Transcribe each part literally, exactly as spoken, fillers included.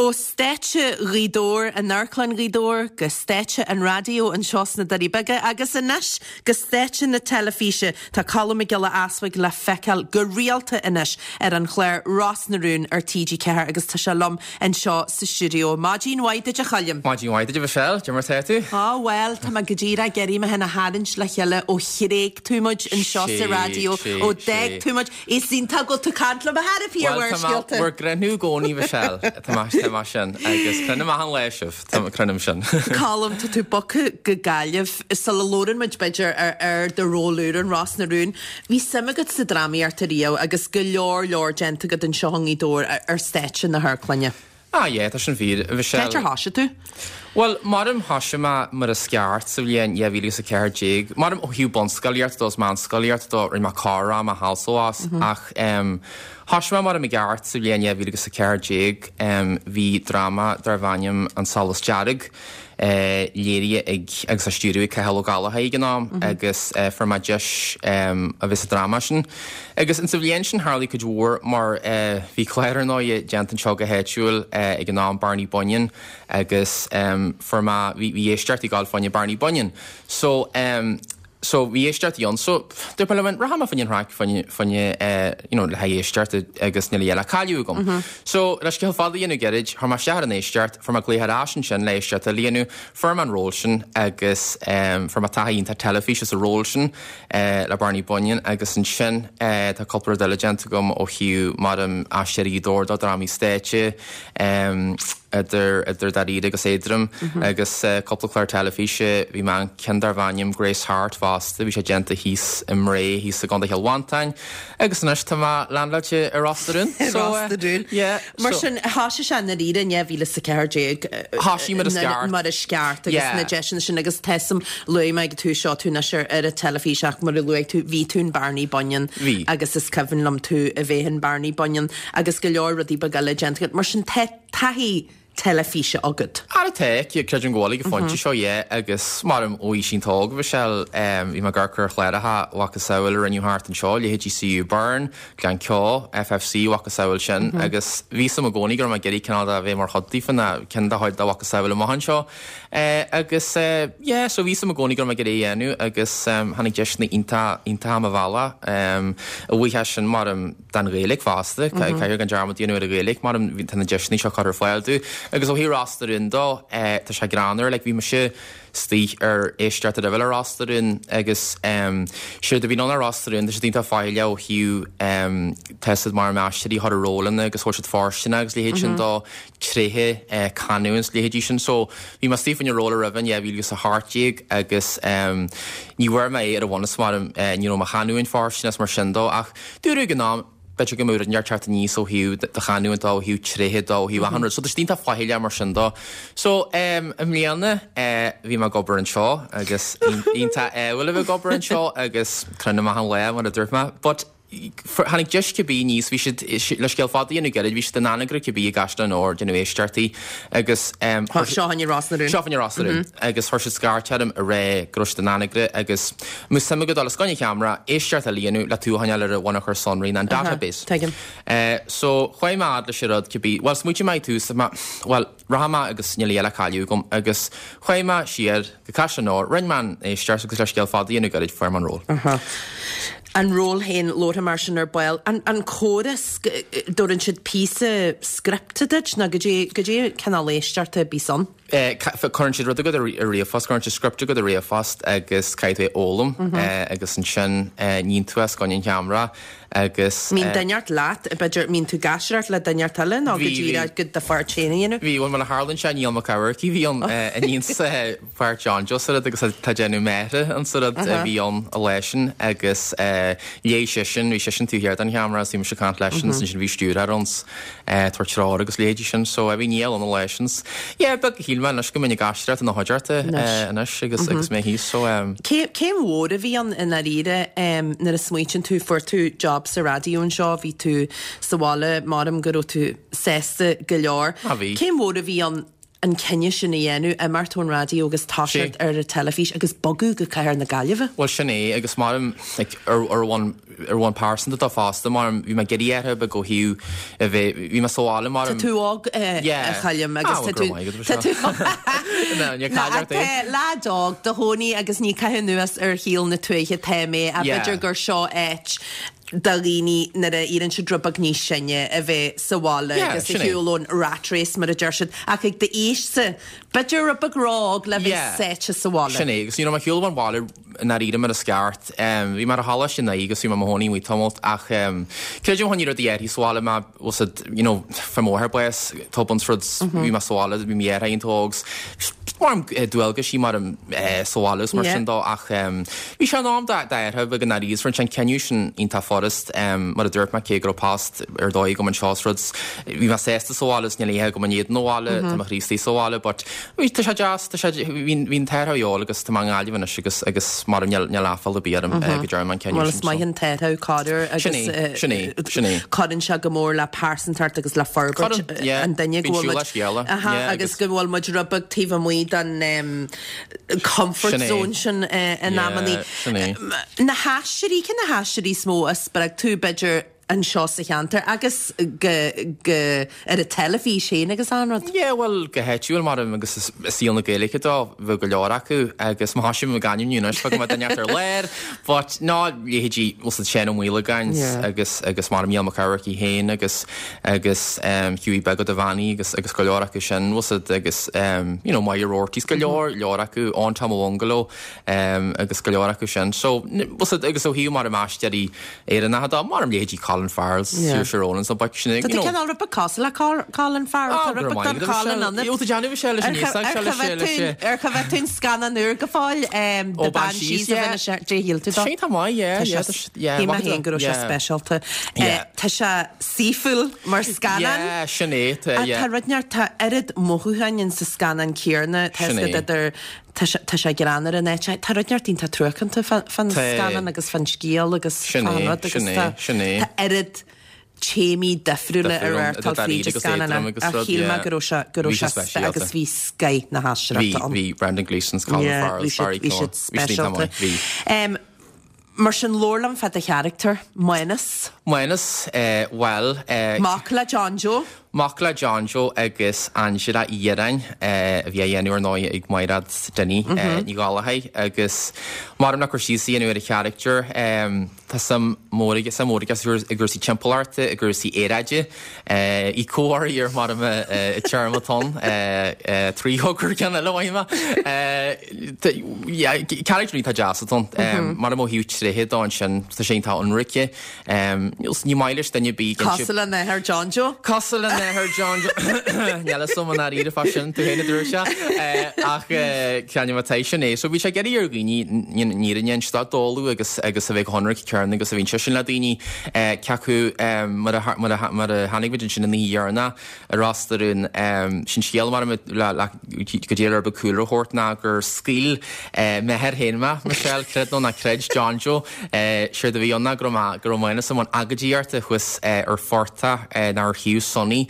Ó stáitse Ghaoth Dobhair, in Amharclann Ghaoth Dobhair, go stáitse an raidió anseo sna Doirí Beaga agus anois go stáitse na teilifíse. Tá Colm Mac Giolla Easbuig le feiceáil go rialta anois ar an chlár Ros na Rún ar T G Ceathair agus tá sé liom anseo sa stiúideo. Maidin mhaith duit, a Choilm. Maidin mhaith duit, Michelle, cad é mar tá tú? Á bhuel, tá mé go díreach ag iarraidh mé féin a tharraingt le chéile ó thréig tú muid anseo sa raidió, ó d'fhág tú muid. Is iontach go bhfuil tú ag caint liom a thairbhí ar bhur Bhur gcruinniú i gcónaí, Michelle, tá mar sin agus cluinim achan lá sibh, tá cluinim sin. Colm, tá tú bogtha go Gaillimh. Sula labhrann muid b'fhéidir ar ar do ról úr in Ros na Rún, bhí suim agat sa drámaíocht ariamh agus go leor leor déanta agat anseo i nGaoth Dobhair ar stáitse na hamharclainne. Ah yeah, tá sin fíor, Michelle. Cá háit ar thosaigh tú? Well, maram thosaigh mé mar is ceart sa bhliain dhá mhíle is a ceathair déag. Maram ó thaobh bunscolaíocht dó is meánscolaíocht dó, rinne mé corr-am thall is abhus, ach um, thosaigh mé mar i gceart sa bhliain dhá mhíle is a ceathair déag. um, bhí dráma darbh ainm An Solas Dearg eh, léirithe ag agus á stiúradh ag Cathal Ó Gallchóir ag an am agus eh, fuair mé deis um, a bheith sa dráma sin. Agus in sa bhliain sin tharla cuid mhór mar eh, bhí clár nua déanta anseo go háitiúil eh, ag an am, Barney Bunyan, agus um, fuair mé bhí bhí éisteacht ag gabháil fá choinne Barney Bunyan. So um, so bhí éisteacht ann, so dúirt mé liom, rachaidh mé fá choinne an chraic fá choinne fá choinne eh, you know, le haghaidh éisteacht agus níl a dhath le cailleadh agam. Mm -hmm. So le scéal fada a dhéanamh gairid, chuir mé isteach ar an éisteacht, fuair mé glaoch ar ais ansin le éisteacht a dhéanamh, fuair mé an ról sin agus um, fuair mé taithí iontach teilifíse sa ról sin uh, le Barney Bunyan agus ansin uh, tá cúpla rud eile déanta agam ó thaobh mar um, aisteoirí dóir do drámaí stáitse um, idir idir dáiríre agus éadrom mm -hmm. agus uh, cúpla clár teilifíse. Bhí mé ceann darbh ainm Grace Hart fosta, bhí sé déanta thíos i mBré, thíos i gContae Chill Mhantáin, agus anois tá mé landáilte ar Ros na Rún. Ros na Rún. Yeah, Mar sin thosaigh sé dáiríre in dhá mhíle is a ceathair déag. Thosaigh mar is ceart. Mar is ceart agus Yeah. na deiseanna sin agus tesam luaigh mé tú seo tú anois ar ar an teilifís ach mar a luaigh tú, bhí tú in Barney Bunyan. Bhí. Agus is cuimhin liom tú a bheith in Barney Bunyan agus go leor rudaí beaga eile déanta agat. Mar sin tá taithí teilifíse agat. Ara tá, creidim go bhfuil ag an phointe seo, yeah, agus mar ó aois an-óg, Michelle, um, bhí mé ag amharc ar chláracha macasamhail a rinneadh thart anseo, leithéidí C U Burn, Gleann Ceo, F F C macasamhail sin, mm -hmm. agus bhí suim i gcónaí go raibh mé ag iarraidh cineál a bheith mar chuid daofa ná ceann de chuid de mhacasamhail amach anseo. Uh, agus uh, yeah, so bhí suim i gcónaí go raibh mé ag iarraidh a dhéanamh agus um, tháinig deiseanna iontach iontach mo bhealach um, a bhuíochas sin mar um, don Ghaeilge fosta, mm -hmm. Caithfidh gan dearmad a dhéanamh ar an Ghaeilge mar um, tá na deiseanna seo curtha ar fáil dom. Agus ó thaobh Ros na Rún dó, eh, tá sé greannmhar, like, bhí mise istigh ar éisteacht a bhfuil ar Ros na Rún agus um, sé do bhí ann ar Ros na Rún, tá sé iontach fáile ó thaobh um, tá siad mar aisteoirí thar a rólanna agus thóir siad fóirstean agus leithéid sin dó, tréithe eh, canúint leithéidí sin. So bhí mé istigh faoin ról roimh an dhá mhíle is a hocht déag agus um, ní bhfuair mé ar a bhunús mar eh, ní raibh mo chanúint fóirstean mar sin dó, ach dúradh ag an am b'fhéidir go mbeadh neart teacht aníos ó thaobh do chanúint ó thaobh tréithe dó, ó thaobh achan rud. So tá iontach fáile mar sin dó. So um, i mbliana uh, bhí mé ag obair anseo agus iontach ádhúil a bheith ag obair anseo agus cluinim achan lá mar a dúirt mé. But tháinig deis cibé níos bhí siad le scéal fada a dhéanamh gairid, bhí siad in Anagaire cibé i gCaisleán Nua déanamh éisteachtaí agus um, Seo an Ros na Rún. Seo an Ros na Rún agus chuir siad scairt orm a rá go raibh siad in Anagaire agus mbeadh suim agam dul os coinne ceamara éisteacht a dhéanamh le tú a choinneáil ar an bhunachar sonraí an database. Tuigim. Uh, so chuaigh mé fhad leis an rud cibé, well, smaointigh mé tús, well, rachaidh mé agus níl a dhath le cailleadh agam agus chuaigh mé siar go Caisleán Nua, rinne mé an éisteacht agus le scéal fada a dhéanamh gairid, fuair mé an ról. An ról féin labhartha mar sin ar ball. An, an córas, dtabharann siad píosa scripte duit nó cad é cad é cineál éisteachta a bhíos ann? Eh, Cuireann siad rud agat ar ríomhphost, cuireann siad script agat ar ríomhphost agus caithfidh tú é a fhoghlaim mm -hmm. eh, agus ansin eh, níonn tú os coinne an cheamara agus Mbíonn duine inteacht leat, b'fhéidir mbíonn tú ag aisteoireacht le duine inteacht eile nó go díreach go do pháirt féin a dhéanamh? Bhí mar a tharlaíonn sé, Niall Mac Eamharcaigh bhí an a níonn páirt John Joe sa rud agus tá déanamh méithe an sa rud a bhí ann a leisin agus léigh seisean, bhí seisean taobh thiar den cheamara, bhí mise ag caint leisean, sin bhí stiúrthóir ann ag tabhairt treoir agus leithéidí sin, so bhí Niall ann a leisin. Yeah, beag a shíl mé anois go mbeinn ag aisteoireacht ina chuideachta anois agus agus mé thíos, so um, Céim mhór a bhí ann i ndáiríre um, nuair a smaoitíonn tú, fuair tú job sa raidió anseo, bhí tú sa bhaile, maram go raibh tú sásta go leor. Ah, bhí. Céim mhór a bhí ann an cinneadh sin a dhéanamh, imeacht ón raidió agus toiseacht ar an teilifís agus bogadh go cathair na Gaillimhe? Well, sin é agus maram, like, ar ar bhonn ar bhonn pearsanta dó fosta, mar bhí mé ag iarraidh athrú beag ó thaobh a bheith, bhí mé sa bhaile mar. Tá tú óg a Choilm agus tá tú, tá tú, tá leaid óg do chónaí agus ní caitheamh anuas ar shaol na tuaithe tá mé a b'fhéidir gur seo áit do dhaoine nuair a éiríonn siad rud beag níos sine a bheith sa bhaile agus a shiúl ón rat race mar a deir siad ach ag d'aois-sa b'fhéidir rud beag ró-óg le bheith sáite sa bhaile. Sin é agus you know, mé ag shiúl ón bhaile i ndáiríre mar is ceart. Bhí mé ar choláiste in aghaidh agus bhí mé i mo chónaí amuigh tamalt ach creidim chun rudaí éirí sa bhaile mé was it you know fuair m'athair bás tobann is rud bhí mé sa bhaile bhí mo dheartháir iontach óg mar dualgaisí mar sa bhaile is mar sin dó ach bhí sé in am d'athrú beag i ndáiríre is rinne sé an cinneadh sin iontach furast mar a dúirt mé cé go raibh post ar dóigh agam anseo is rud bhí mé sásta sa bhaile is níl oíche agam in éadan an bhaile tá mo chroí istigh sa bhaile but bhí tá sé deas tá sé bhí bhí an t-athrú a dhíobháil agus tá mé i nGaillimh anois agus agus mar níl níl aiféala ar bith orm go ndearna mé an cinneadh Bhuel is sin so. maith an t-athrú corruair agus Sin é sin é sin é. cuireann sé go mór le pearsantacht agus le forbairt Cuireann yeah an duine go bíonn bhfuil siúl muid le scéala Aha yeah agus agus go bhfuil muid rud beag taobh amuigh den um, comfort Sin é. zone sin uh, in Yeah, amannaí. sin é. Na haisteoirí cé na haisteoirí is mó a spreag tú b'fhéidir anseo sa cheantar agus go, go ar an teilifís féin agus an rud. Yeah, well go háitiúil mar agus is saol na Gaeilge dó bheadh go leor acu agus má sin ganim anois go duine ar léir, but ná leithéidí bhfuil Seán Ó Maolagáin Yeah. agus agus mar Mícheál Mac Eamharcaigh féin agus agus um, Hughie Beag Ó Duibheannaigh agus agus go leor acu sin bhfuil agus um, you know, Máire Roarty go leor leor acu Eoghan Tom Ó Bhungalo um, agus go leor acu sin. So bhfuil agus ó thaobh mar aisteoirí Éireannacha dá mar leithéidí Colin Farrell, Yeah. Saoirse Ronan sa baic sin. Tá tú cineál rud beag cosúil le Col- Colin Farrell Ah, tá rud beag den Colin ionat. Tá déanamh sé leis an sé Ar choimhéad tú an scannán úr go fóill um, Ó, The Banshees Banshees, of yeah. Inisherin Dé shíl tú dó? Sé tá maith, yeah, yeah, yeah, Shíl mé maith féin go raibh sé yeah. speisialta. Yeah. Tá sé saoithiúil mar scannán. Yeah, sin é, tá, A yeah. Tá rud neart tá oiread mothúcháin in sa scannán céanna tá Sin é. idir tá sé tá sé greannmhar in áit tá rud neart iontach truacánta fan Tá. scannán agus fan scéal agus Sin fan é, rud agus sin é, tá sin é. tá oiread téamaí difriúla ar Difriúil, airtal idir fríd agus scannán éadrom agus a rud, shíl mé yeah. go raibh sé go raibh Bhí sé sé spe- speisialta. agus bhí scoth na Bhí haisteoireachta ann. bhí Brendan Gleeson, Colin Yeah, Farrell, bhí siad- Barry bhí siad Cohen. Bhí siad iontach speisialta. maith, bhí. Um, Mar sin labhair liom fá do charachtar, Mánas, Mánas, eh, well, eh, mac le John Joe. Mac le John Joe agus Angela Uí Dhireáin eh, a bhí á dhéanamh ar ndóigh ag Mairéad Dinny eh, Ní Ghallchóir agus mar nach chuir síos í ar a charachtar um, tá suim mór aige suim mór aige i gcúrsaí timpeallachta i gcúrsaí aeráide eh, í comhar ar mar a téarma trí thogur ceann eile bhaime. Charachtar tá deas atá mar ó thaobh tréithe dó sin tá sé tá ionraic ní maith leis duine bí Cosúil lena athair John Joe. Cosúil lena athair John Níl som an aíre fa sin tú héna dúir se ach ceanna tá sin é, so bhí sé ag iarraidh ar dhaoine ní stad d'ól agus agus a bheith ionraic cearn agus a bhíonn sin le daoine ceacu mar a mar a tháinig muid sin ní dhearna a rastarún sin scéal mar go dé ar bcúlra thuirt ná gur scaoil m'athair féin mé Michelle creid nó ná creid John Joe sé a bhí anna go go raibh san agóidíocht thuas ar phortach ná ar thaobh Sonny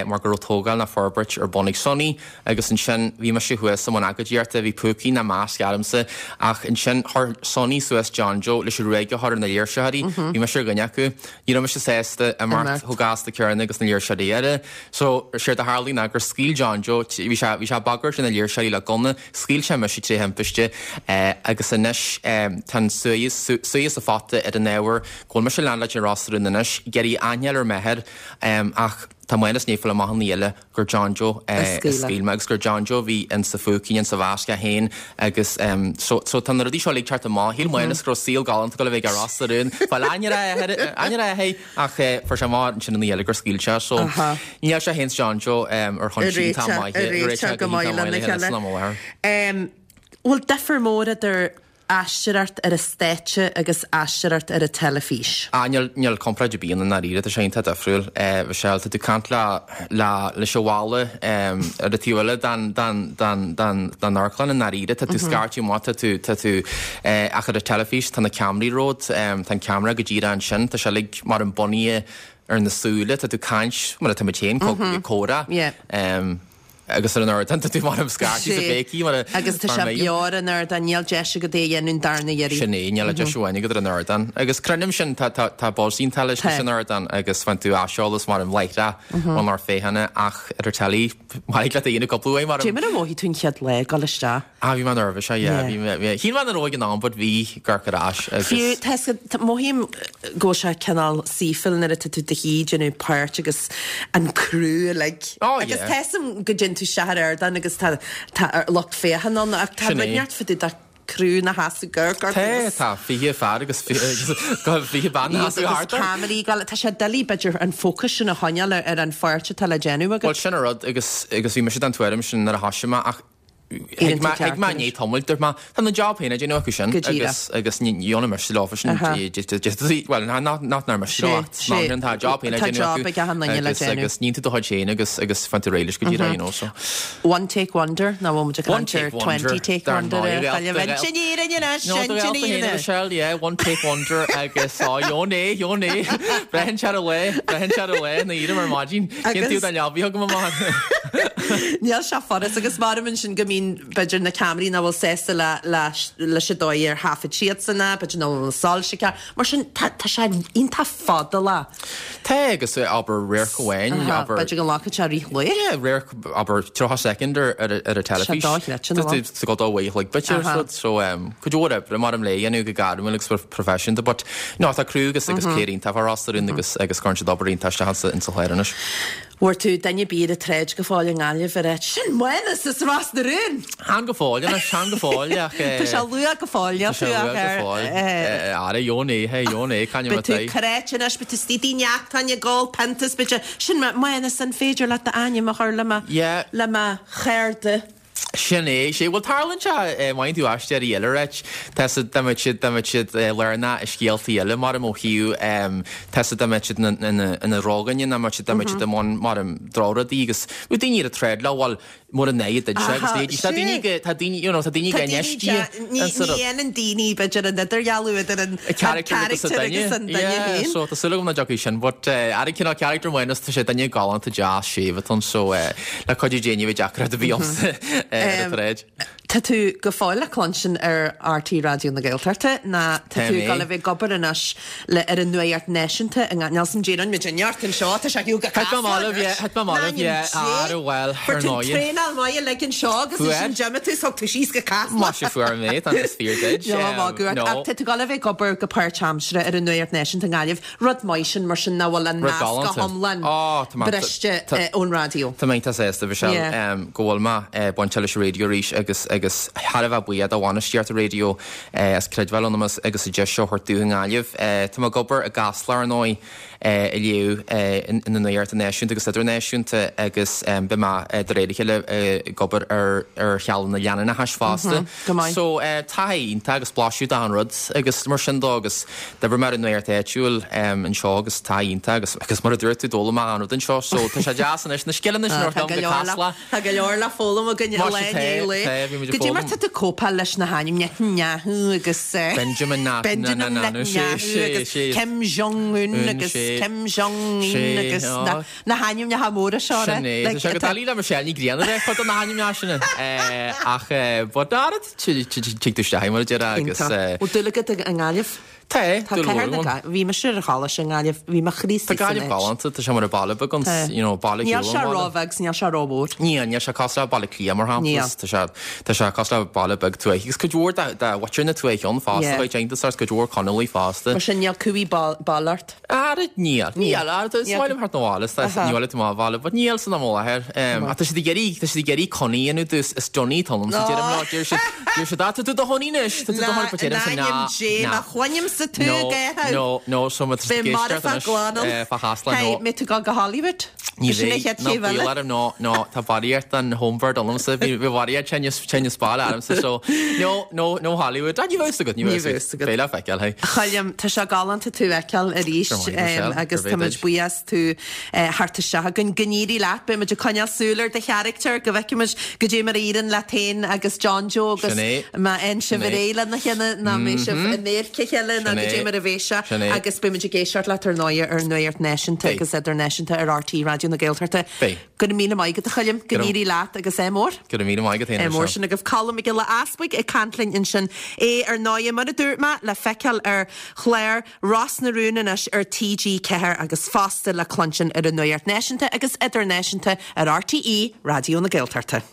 mar go raibh tógáil na forbairt ar bun ag Sonny agus ansin bhí sé thuas an agóidíocht bhí púcaí na masc agamsa ach ansin chuir Sonny suas John Joe leis an ruaig a chur ar na léirsitheoirí bhí me sé gine acu ní raibh sé sásta mar thugasta cearna agus na léirsitheoirí eile so sé a tharla ná gur scaoil John Joe bhí sé bhí sé ag bagairt na léirsitheoirí le gunna scaoil sé mise trí thimpiste agus anois tá suí sa fata ar an ábhar go bhfuil mise lean leis an rástarún anois ag iarraidh aithne ar m'athair ach tá Mánas ní amach an eile gur John Joe scaoil mé agus gur John Joe bhí in sa phúicín in sa mhasc féin agus so so tá na rudaí seo ag teacht amach shíl Mánas go raibh saol galánta go bheith ar rástarún Fáil aine hé ach fuair sé amach sin an eile gur scaoil sé so níl sé féin John Joe ar chun sin tá maith réiteach go maith lena chéile. Bhfuil difear mór idir aisteoireacht ar an stáitse agus aisteoireacht ar an teilifís. Ah, níl níl comparáid ar bith ann i ndáiríre tá sé iontach difriúil Michelle tá tú caint le le leis an bhalla ar an taobh eile den den den den den amharclann i ndáiríre tá tú scairte amach tá tú tá tú ach ar an teilifís tá na ceamaraí romhat tá an ceamara go díreach ansin tá sé uilig mar an bunaithe ar na súile tá tú caint mar atá muid féin comhrá. Yeah. Um, agus ar an ardán tá tú mar am scairtí sa béicí mar a Agus tá sé beo ar an ardán níl deis agat é a dhéanamh darna iarraidh. Sin é, níl deis amháin agat ar an ardán. Agus creidim sin tá tá tá buzz iontach leis Tá. an ardán agus faigheann tú aiseolas mar am láithreach ón lucht féachana ach ar an telly maith leat a dhéanamh cúpla uair mar Dé mar a mhothaigh tú an chéad lá ag dul isteach. Ah bhí mé nervous yeah, Yeah. bhí mé bhí shíl mé nach raibh in ann but bhí gar ar ais agus Fiú tá mothaím go bhfuil sé cineál saoifil nuair atá tú i do shuí ag déanamh páirt agus an crew uilig. Oh, Agus yeah. Tessam go dtéann tú isteach ar ardán agus tá tá ar lucht féachana ann ach tá Sin é. rud neart fá dtaobh de crew na sheasamh gur gur Tá tá fiche fear agus go fiche bean agus ceamaraí gal tá sé doiligh b'fhéidir an focus sin a choinneáil ar ar an pháirt atá le déanamh Well agat. sin an rud agus agus bhí mise den tuairim sin nuair a thosaigh mé ach Éireann tú ceart ag má ní tomil má tá na job féin déanamh acu sin Go díreach. agus agus ní dhéanfaidh mise leofa sin Aha. well nach ná mise Sé, sé. tá job féin Tá job ag achan duine le agus déanamh. agus níonn tú do chuid féin agus agus faigheann tú réidh leis go díreach you know so One take wonder ná bhfuil muid ag One caint ar take wonder. twenty take Dar wonder ndóigh, ar réalt- Sin Michelle, yeah, one take wonder agus á jó né jó né Brehan se le Brehan se le na iad mar maidin Cén tú den leabhí go amach. Níl sé foras agus mar sin go mbíonn b'fhéidir na ceamaraí nach bhfuil sásta le leis an dóigh ar thaifead siad sanna, b'fhéidir nach bhfuil soilse ceart. Mar sin tá tá sé iontach fada lá. Tá agus abair radharc amháin abair B'fhéidir go nglacann sé rith lae. Yeah, radharc abair tríocha second ar ar ar a teilifís. dochreidte, nó? Tá go dá like bit Aha. so um cuid mhór oibre mar am le dhéanamh go gairmiúil agus professional but no tá crew agus agus cliar iontach ar rostar agus agus cuireann siad obair iontach isteach insa chlár anois. Bhfuair tú duine bír a tréid go fáil an Ghaillimh ar sin Mánas is Ros na Rún. Han go fóill anois han go fóill ach Tá sé luath go fóill Tá sé luath go fóill. Ara jó né he jó né can Be tú crete anois be tú stíí neachtain gáil pentas be sin Mánas an féidir le d'ainm a chur le mo Yeah. le mo cheirde. Sin é sé bhfuil tarlaíonn sé main tú aisteir eile reit Tá siad siad siad learna i scéaltaí eile mar ó hiú tá siad ina róganne na siad siad mar drádaí agus u daoine a tréad le bhfuil mór an néad agus tá daoine tá daoine tá daoine Tá ní dhéanann daoine b'fhéidir an idirdhealú idir an character agus an duine féin. So tá súil agam nach dtiocfaidh sin, but ar an cineál character Mánas tá sé duine galánta deas séimh so le cuidiú Dé ní bheidh deacra a bhí ar an tréid. Tá tú go fóill le cluinstin ar RTÉ Raidió na Gaeltachta ná tá Tá tú mé. ag dul a bheith ag obair anois le ar an nuacht náisiúnta i nGaillimh Déan muid neart anseo tá sé go Thit mé maith, yeah, thit mé maith, yeah, ar bhfuil Fuair ar tú ndóigh. traenáil maith le anseo agus Fuair. sin gemma tú thug tú síos go Casla. Má sé fuair mé tá is fíor duit. No, no. Tá tú ag dul a bheith ag obair go páirtaimseartha ar an nuacht náisiúnta i nGaillimh, rud maith sin mar sin nach bhfuil an Rud nasc go galánta. hiomlán Ó, tá mé- briste tá- eh, ón raidió. Tá mé sásta Michelle Yeah. um, go bhfuil mé uh, bainte leis an raidió arís agus agus thar a bheith buíoch do bhainistíocht an raidió uh, as creidbheáil ionam agus an deis seo a thabhairt dom i nGaillimh. Uh, Tá mé ag obair i gCasla ar ndóigh uh, i léamh uh, na nuachta náisiúnta agus idirnáisiúnta agus um, beidh mé uh, de réir a chéile uh, ag obair ar ar shealanna leanúnacha fosta. go maith. So uh, tá iontach agus blaiseadh den rud agus mar sin dó agus d'oibrigh mé ar an nuacht áitiúil um, anseo agus tá iontach agus agus mar a dúirt tú d'fhoghlaim mé an rud anseo so tá sé deas anois na scileanna sin Tá orm go go leor le- Casla. Tá go leor le foghlaim againn Mar le sé té- le. té, bhí muid ag Go dtí mar foghlaim. tá tú cóipeáil leis na hainmneacha Netanyahu agus eh, Benjamin Na- Benjamin na- na- na- sé- Netanyahu sé- agus sé. Kim Jong-un Un, agus sé. Kim Jong-un Sé, agus á. na na hainmneacha móra seo. Sin é, tá sé go doiligh le Michelle Ní Ghrianna de chud na hainmneacha sin. Ach but tig tú isteach mar a deir agus eh, Ó dúil agat i nGaillimh? Tá Tá cathair na Gaillimhe. Bhí mise ar choláiste i nGaillimh, bhí mo chroí Tá Gaillimh galánta tá sé mar a baile beag you know baile Níl sé róbheag níl sé rómhór. Ní níl sé cosúil le Baile Átha Cliath mar Níl. shampla tá sé tá sé cosúil le baile beag tuaithe agus cuid mhór de mhuintir na tuaithe ann fosta Yeah. chuid déanta cuid mhór Conallaigh fosta. Mar sin níl cumhaidh baile ort. Ara níl níl ara is Níl. maith liom thart na bhaile Aha. níl tú má bhaile, but níl san am láthair. A tá siad ag iarraidh tá siad ag iarraidh Connie inú dus is Johnny tulam sa deirim lá deir siad deir siad tá tú do Honey anois tá tú do Honey but deirim sa ná Dé ná. má chluinim sa tú No, gaetha. no, no, so má B'é mar a glanal. fa Chasla Hey, no. mé tú go go Hollywood? Ní Sin é bheidh chéad no chéim eile? bíl no no tá barraíocht an homebird ionamsa bhí bhí barraíocht tennis tennis ball agamsa so no no no Hollywood ní bheidh agat ní Ní bheidh agat. Beidh le feiceáil hey. Choilm tá sé galánta tú a fheiceáil arís Go maith, Michelle, agus gur tá muid bhéidir. buíoch as tú theacht isteach chugainn go n-éirí leat beidh muid ag coinneáil súil ar do charachtar go bhfeicfimid goidé mar a éiríonn leat féin agus John Joe agus Sin é. má fhaigheann sibh Sin é. ar aghaidh lena chéile ná mbeidh sibh in éirce chéile ná Sin é. goidé mar a bheidh sé Sin é. agus beidh muid ag éisteacht leat ar ndóigh ar nuacht náisiúnta Hey. agus idirnáisiúnta ar RTÉ Raidió Raidió na Gaeltachta. Beidh. Go raibh míle maith agat a Choilm, go n-éirí leat agus ádh mór. Go raibh míle maith agat Ádh mór sin agaibh Colm Mac Giolla Easbuig ag caint linn ansin é ar ndóigh mar a dúirt mé le feiceáil ar chlár Ros na Rún anois ar TG Ceathair agus fosta le cluinstin ar an nuacht náisiúnta agus idirnáisiúnta ar RTÉ Raidió na Gaeltachta.